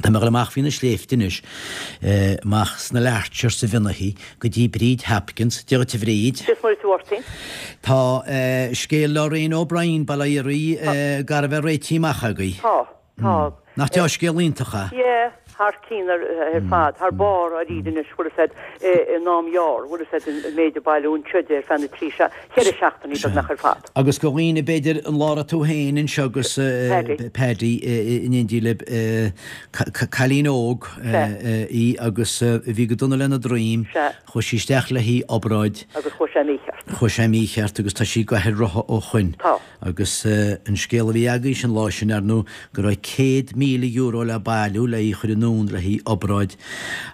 Tá mé ag dul amach faoi na sléibhte anois, amach sna Larches sa Bhionnachaidh, go dtí Bríd Hopkins. Dia dhuit a Bhríd. Dia is Muire duit a Mháirtín. Tá scéal Lorraine O'Brien, Baile Ioraí, gar a bheith réitithe amach agaibh. Tá. Tá. Nach dea-scéal iontach é? Yeah, thar cionn ar fad, thar barr dáiríre anois, bhfuil a fhios a'd, in am ghearr, bhfuil a fhios a'd, an méid a bailíodh anseo di ar feadh na dtrí, cheithre seachtainí beagnach ar fad. Agus do dhaoine, b'fhéidir, an lá a raibh tú féin anseo agus Paddy in éindí libh, cailín óg í agus a bhí go dona lena droim, chuaigh sí isteach le haghaidh obráid. Agus chuaigh sé mícheart. Chuaigh sé mícheart agus tá sí ag gabháil ar rotha ó shoin. Tá. Agus an scéal a bhí agaibhse an lá sin, ar ndóigh, go raibh €100,000 le bailiú le í a chur anonn le haghaidh obráid.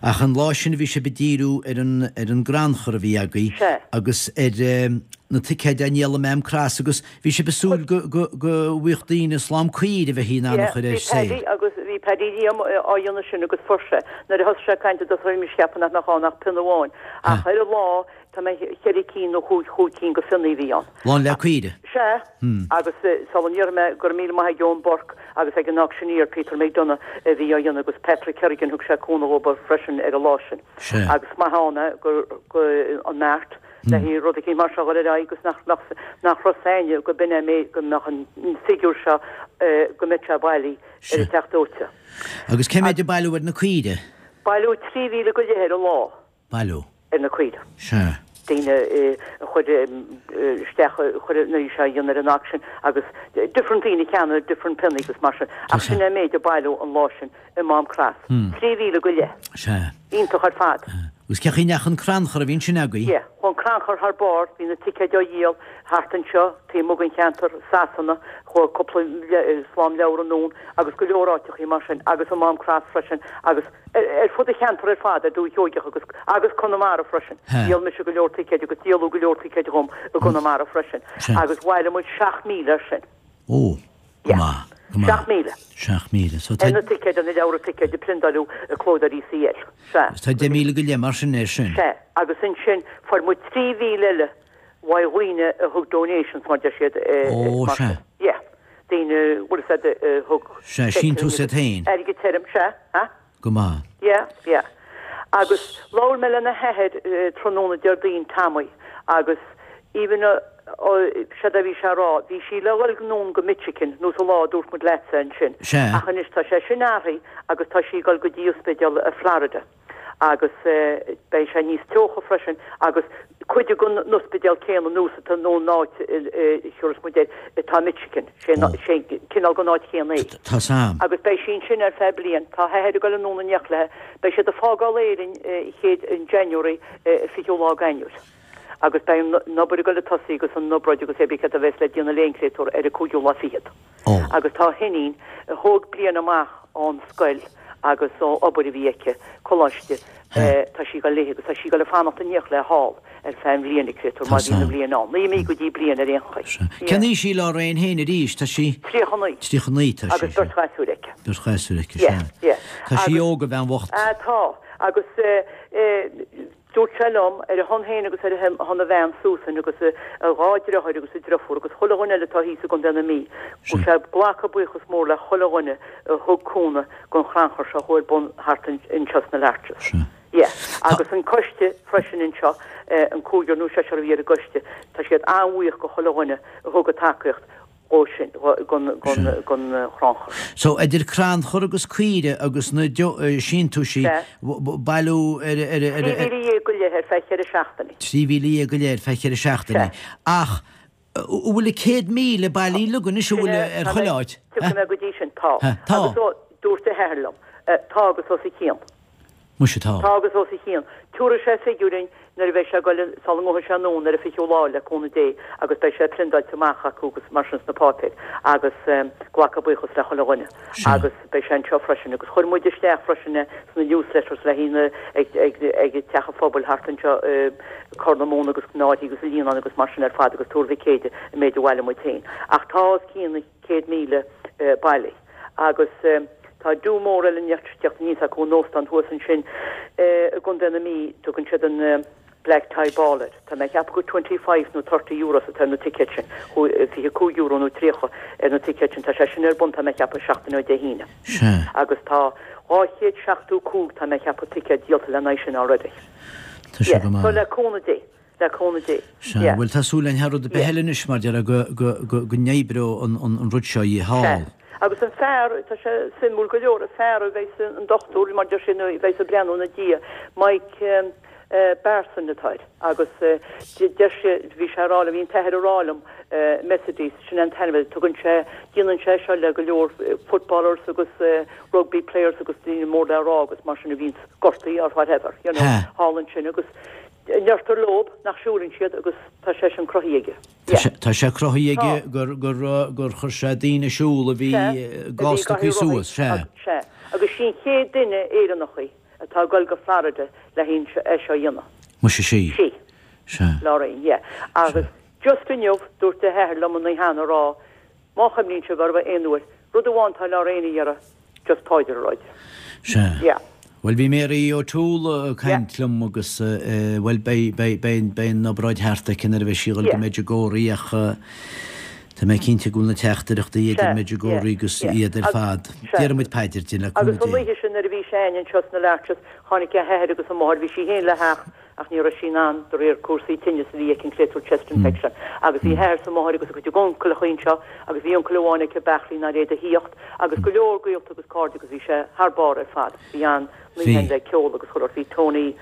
Ach an lá sin bhí sibh ag díriú ar an ar an gcrannchur a bhí agaibh Sea. agus ar na ticéid á ndíol i Mám Cross agus bhí sibh ag súil go go go bhfaigheadh daoine slám caoire a bheifí in ann a Yeah, chur ar bhí Paddy sale. agus bhí Paddy Liam á dhéanamh sin agus fuair sé. Nuair a thosaigh sé ag caint i dtosach bhí mise ag ceapadh nach mbeadh ann ach pionna amháin. Ach ar an lá Tá mé cheithre cinn nó chúig chúig cinn go phionnaí a bhí ann. Lán le caoire. Sea, agus sula ndéarfaidh mé go raibh míle maith ag Eoin Burke agus ag an auctioneer Peter McDonagh a bhí á dhéanamh agus Patrick Kerrigan thug sé cúnamh dhóibh freisin ar an lá sin. Sea. Agus maith ann é go go an mbeart le haghaidh rud eicínt mar seo a dhul ar aghaidh agus nach mbeadh nach raibh 's éinne go b'in é mé go mbeadh an figiúr seo go mbeadh sé bailí ar an teach dóite. Agus cé méid a bailíodh ar na caoire? Bailíodh 3,000 go leith ar an lá. Bailiú. ar na caoire. Sea. Daoine a chuir isteach, a chuir nuair a bhí sé á dhéanamh ar an auction agus different daoine a cheannaigh different pionnaí agus mar sin. Ach sin é an méid a bailíodh an lá sin i Mám Cross. 3,000 go leith. Sea. Iontach ar fad. Agus cé chaoi a ndeachaigh an crannchur a bhí ansin agaibh? Yeah. Chuaigh an crannchur thar barr, bhí na ticéid á dhíol thart anseo, taobh amuigh den cheantar, Sasana, chuaigh cúpla slám leabhar anonn agus go leor áiteachaí mar sin agus i Mám Cross freisin agus ar fud an cheantair ar fad, ar Dúiche Sheoigeach agus agus Conamara freisin. Dhíol mise go leor ticéid agus díoladh go leor ticéid dhom i gConamara freisin. Agus bhailigh muid 7,000 air sin. Ó, go maith, go maith. 7,000. 7,000. So tá. Ar na ticéid, ar na leabhra ticéid a priondáileadh i Clódóirí CL. Sea. Tá 10,000 go leith mar sin air sin. Sea. Agus ansin fuair muid 3,000 eile uaidh dhaoine a thug donations mar deir siad. Ó, sea. Yeah. Daoine, bhfuil a fhios a'd, a thug. Sea, síntiús iad féin. Airgead tirim, sea, ha? Go maith. Yeah, yeah. Agus labhair mé lena hathair tráthnóna Déardaoin, Tommy, agus even séard a bhí sé a rá, bhí sí le dhul anonn go Michigan, nós an lá a dúirt muid leatsa ansin. Sea. Ach anois tá sé sin athraithe agus tá sí ag dul go dtí ospidéal i Florida. agus beidh sé níos teocha freisin agus cuid den ospidéal céanna nós atá nó an áit a thiúrfas muid air atá i Michigan, sé cineál den áit chéanna é. Tá sam. Agus beidh sí ansin ar feadh bliain. Tá a hathair ag dul anonn in éineacht léi. Beidh siad ag fágáil Éirinn chéad in January, 20ú lá d'Eanáir. Agus beidh an obair ag dul ag tosaí agus an obráid agus é céard a bheas le déanamh léi an créatúr ar an 5ú lá fichead. Agus tá a hiníon, a thóg bliain amach ón scoil agus ó obair a bhí aici, coláiste, tá sí ag dul léi agus tá sí ag dul ag fanacht in éineacht léi thall ar feadh an bhliain, a créatúr, má bhíonn an bhliain ann. Naoi mí go dtí bliain ar aon chaoi. Cén aois í Lorraine féin arís? Tá sí. 39. 39 tá sí. Agus beirt ghasúir aici. Beirt ghasúir aici, sea. Yeah, yeah. Tá sí óg, a bhean bhocht. Tá. Agus Dúirt sé liom, ar a shon féin agus ar a shon a bhean Susan agus a dhá dhriotháir agus a driofúr agus chuile dhuine eile atá thíos i gContae na Mí, go bhfuil sé ag glacadh buíochas mór le chuile dhuine a thug cúnamh don chrannchur seo a chuaigh ar bun thart anseo sna Larches. Yeah. Agus an coiste freisin anseo, an cúigear nó seisear a bhí ar an gcoiste, tá siad an-bhuíoch go chuile dhuine a thug a tacaíocht dhó sin, don chrannchur. So, idir crannchur agus caoire agus na síntiúisí, bailiú ar. 13,000 go leith ar feadh cheithre seachtainí. 13,000 go leith ar feadh cheithre seachtainí. Ach an bhfuil an 100,000 bailithe uilig anois, an bhfuil ar chuile áit? Tiocfaidh mé go dtí sin. Tá. Tá. Agus dúirt a hathair liom, tá agus os a chionn. Muise tá. Tá agus os a chionn. Tabharfaidh sé figiúir dúinn nuair a bheidh sé ag goil sula ngabhfaidh sé anonn ar an 20ú lá le cúnamh Dé agus beidh sé priondáilte amach acu agus mar sin sna páipéir agus glacadh buíochas le chuile dhuine agus beidh sé anseo freisin agus chuir muid isteach freisin é sna newsletters le haghaidh na ag ag ag teach an phobail thart anseo i Corr na Móna agus na Áirthí agus an Líonán agus mar sin ar fad agus Tuar Mhic Éadaigh an méid a bhailigh muid féin ach tá os cionn 100,000 bailithe agus tá do mór eile ag teacht aníos acu in óstán thuas ansin i gContae na Mí, tugann siad an. Black Tie Ball air. Tá mé ag ceapadh gur 25 nó 30 euros atá ar na ticéid sin, €25 nó 30 ar na ticéid sin. Tá sé sin ar bun tá mé ag ceapadh seachtain ó Dé hAoine. Sea. Agus tá 275 tá mé ag ceapadh ticéad díolta lena aghaidh sin already. Tá sé go maith. So le cúnamh Dé. Le cúnamh Dé. Sea. Yeah. Bhuel tá súil againn thar rud ar bith Yeah. eile anois mar déarfá go, go, go, go n-oibreoidh an, an, an rud seo Sea. thall. Agus an fear, tá sé suimiúil go leor, an fear a bheas an dochtúir mar deir sé nó a bheas ag breathnú ina diaidh, Mike, Barson atá air agus deir sé, bhí sé a rá liom, bhí an t-athair a rá liom, Mercedes, sin é an t-ainm air, tugann sé, déanann sé seo le go leor footballers agus rugby players agus daoine mór le rá agus mar sin a bhíonns gortaithe or whatever, you know, thall ansin agus deirtear leob nach siúlann siad agus tá sé sin cruthaithe aige. Yeah. Tá sé cruthaithe aige gur, gur, gur chuir sé daoine ag siúl a bhí gásta acu suas, sea. Sea, agus sí an chéad duine Éireannach í. atá ag dul go Florida le haghaidh é seo a dhéanamh. Muise sí. Sí. Sea. Lorraine, yeah. Agus just inniu, dúirt a hathair liom an oíche cheana a rá, má chuimhníonn sibh uirthi aon uair, rud amháin tá Lorraine a iarraidh, just paidir a rá di. Sea. Yeah. Bhuel, bhí Mary O'Toole ag Yeah. caint liom agus, bhuel, beidh, beidh, beidh, beidh an obráid thart aici nuair a bheidh sí ag dul go Yeah. Medjugorje ach, Tá mé cinnte go bhfuil na teachtaireachtaí idir Medjugorje agus iad ar fad. Déarfaidh muid paidir di, le Agus cúnamh an Dé. oíche sin nuair a bhí sé a'inn anseo sna Larches, tháinig a hathair agus a máthair, bhí sí féin le theacht ach ní raibh sí in ann de réir cúrsaí tinnis a bhí aici, an créatúr chest infection. Agus bhí a hathair 's a máthair agus a cuid uncaileacha anseo agus bhí uncail amháin aici beachlaí nár fhéad a thíocht agus go leor gaolta agus cairde agus bhí sé thar barr ar fad. Bhí an Bhí. oíche le ceol agus chuile shórt. Bhí Tony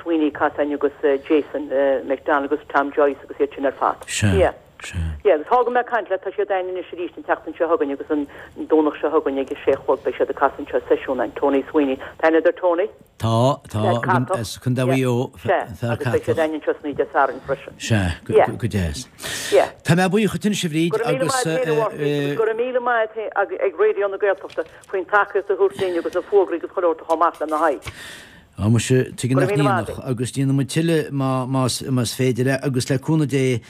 Sweeney ag casadh a'inn agus Jason McDonald agus Tom Joyce agus iad sin ar fad. Sea. Yeah. Sea. Yeah, agus tá go mbeidh mé ag caint leat, tá siad a'inn anois arís an tseachtain seo chugainn agus an Domhnach seo chugainn ag a sé a chlog beidh siad ag casadh anseo seisiún a'inn, Tony Sweeney. Tá aithne agat ar Tony? Tá, tá, Fear catach. as Contae Mhaigh Eo, Sea, fear agus beidh siad catach. a'inn anseo san oíche Dé Sathairn freisin. Sea, Yeah. go deas. Yeah. Tá mé buíoch duit anois a Bhríd Go raibh míle agus maith agat féin a Mháirtín agus go raibh míle maith agat ag Raidió na Gaeltachta faoin tacaíocht a thabhairt dúinn agus na fógraí agus chuile shórt a chur amach lena haghaidh. Á muise, tuige Go nach raibh míle maith n-ionadh, agat. agus déanfaidh muid tuilleadh más más féidir é, agus le cúnamh Dé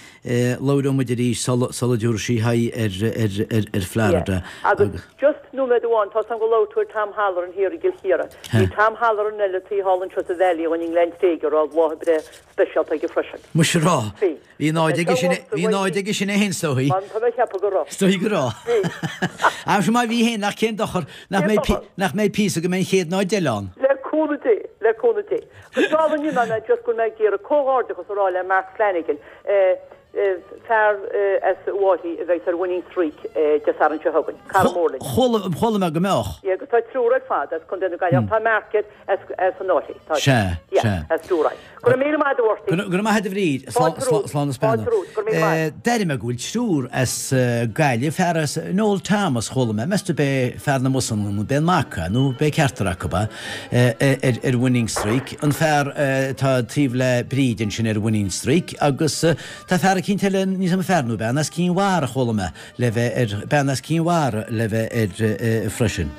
labhróidh muid arís sula sula dtabharfaidh sí aghaidh ar ar ar ar Florida. Yeah. Agus just nóiméad amháin, tá's agam gur labhair tú ar Tom Halloran thiar i gCill Chiaráin. Bhí Tom Halloran eile taobh thall anseo sa Valley i nGleann Tréige a raibh lá a breithe speisialta aige freisin. Muise a rá. Bhí. Bhí náid aige sin, bhí náid aige sin é féin is dóigh. Tá mé ag ceapadh go raibh. Is dóigh go raibh. Bhí. Ach má bhí féin, nach cén dochar, nach mbeidh, nach mbeidh píosa go mbeidh an chéad náid eile ann. Le cúnamh Dé, le cúnamh Dé. Agus dála an iomána, just go bhfuil mé ag iarraidh comhghairdeachas a rá le Mark Flanagan, fear as Uaimh a bheidh ar Winning Streak Dé Sathairn seo chugainn. Cara mór linn. Chuala, chuala mé go mbeadh. Yeah, agus tá triúr ar fad as Contae na Gaillimhe. Tá Mark air as, as an Fhairche. Tá. Sea, Yeah, sea. as Dúrainn. Go raibh míle maith agat a Mháirtín. Go raibh maith agat a Bhríd. Fáilte romhat. Slán is Fáilte beannacht. romhat. Go raibh míle maith. D'airigh mé go bhfuil triúr as Gaillimh, fear as Noel Thomas chuala mé, meas tú b'é fear na mbusanna nó b'é an mac é nó b'é ceachtar acu é, ar Winning Streak, an fear atá taobh le Bríd ansin ar Winning Streak agus tá fear eicínt eile, níl 's agam fear nó bean, as Cinn Mhara chuala mé le bheith ar, bean as Cinn Mhara le bheith air freisin.